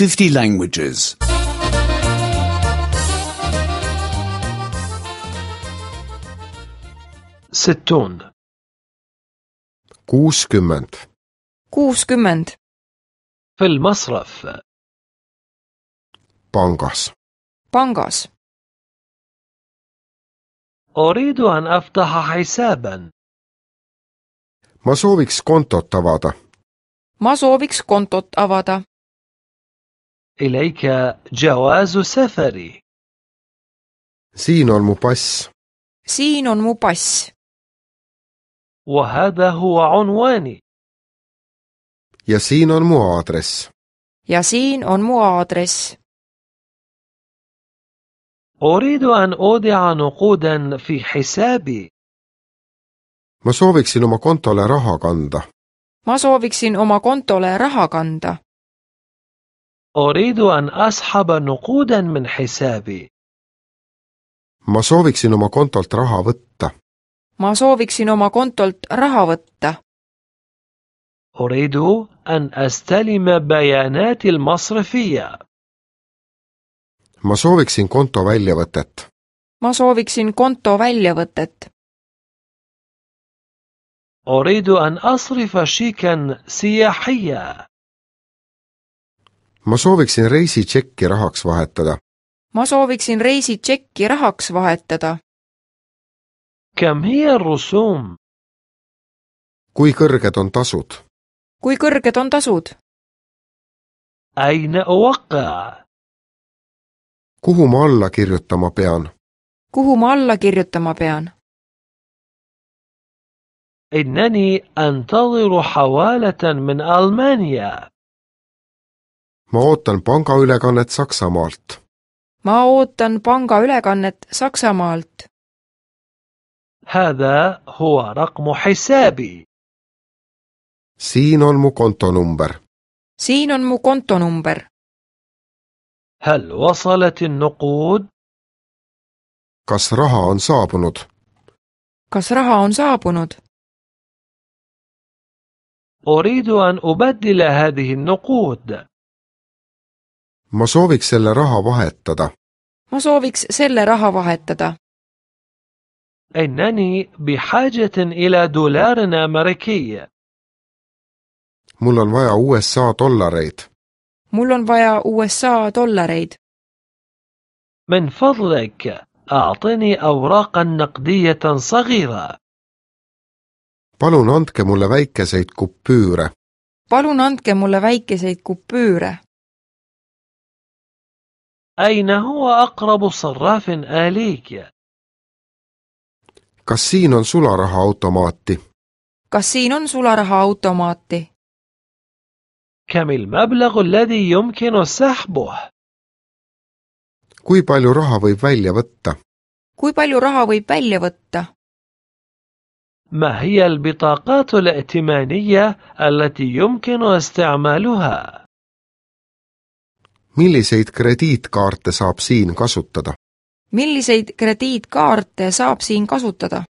50 languages. 60 60 60 في المصرف pangas. pangas. أريد أن أفتح حسابا. Ma sooviks kontot avada. Ma sooviks kontot avada. إليك جواز سفري. Siin on mu pass. Siin on mu pass. وهذا هو عنواني. Ja siin on mu aadress. Ja siin on mu aadress. أريد أن أودع نقودا في حسابي. Ma sooviksin oma kontole raha kanda. Ma sooviksin oma kontole raha kanda. أريد أن أسحب نقودا من حسابي. Ma sooviksin oma kontolt raha võtta. Ma sooviksin oma kontolt raha võtta. أريد أن أستلم بيانات المصرفية. Ma sooviksin konto väljavõtet. Ma sooviksin konto väljavõtet. أريد أن أصرف شيكا سياحيا. Ma sooviksin reisitšekki rahaks vahetada. Ma sooviksin reisitšekki rahaks vahetada. كم هي الرسوم؟ Kui kõrged on tasud? Kui kõrged on tasud? أين أوقع؟ Kuhu ma alla kirjutama pean? Kuhu ma alla kirjutama pean? إنني أنتظر حوالة من ألمانيا. Ma ootan pangaülekannet Saksamaalt. Ma ootan pangaülekannet Saksamaalt. هذا هو رقم حسابي. Siin on mu kontonumber. Siin on mu kontonumber. هل وصلت النقود؟ Kas raha on saabunud? Kas raha on saabunud? أريد أن أبدل هذه النقود. Ma sooviks selle raha vahetada. Ma sooviks selle raha vahetada. إنني بحاجة إلى دولار أمريكي. Mul on vaja USA dollareid. Mul on vaja USA dollareid. من فضلك أعطني أوراقا نقدية صغيرة. Palun andke mulle väikeseid kupüüre. Palun andke mulle väikeseid kupüüre. أين هو أقرب صراف آلي؟ Kas siin on sularahaautomaati? Kas siin on sularahaautomaati? كم المبلغ الذي يمكن سحبه؟ Kui palju raha võib välja võtta? Kui palju raha võib välja võtta? ما هي البطاقات الائتمانية التي يمكن استعمالها؟ Milliseid krediitkaarte saab siin kasutada? Milliseid krediitkaarte saab siin kasutada?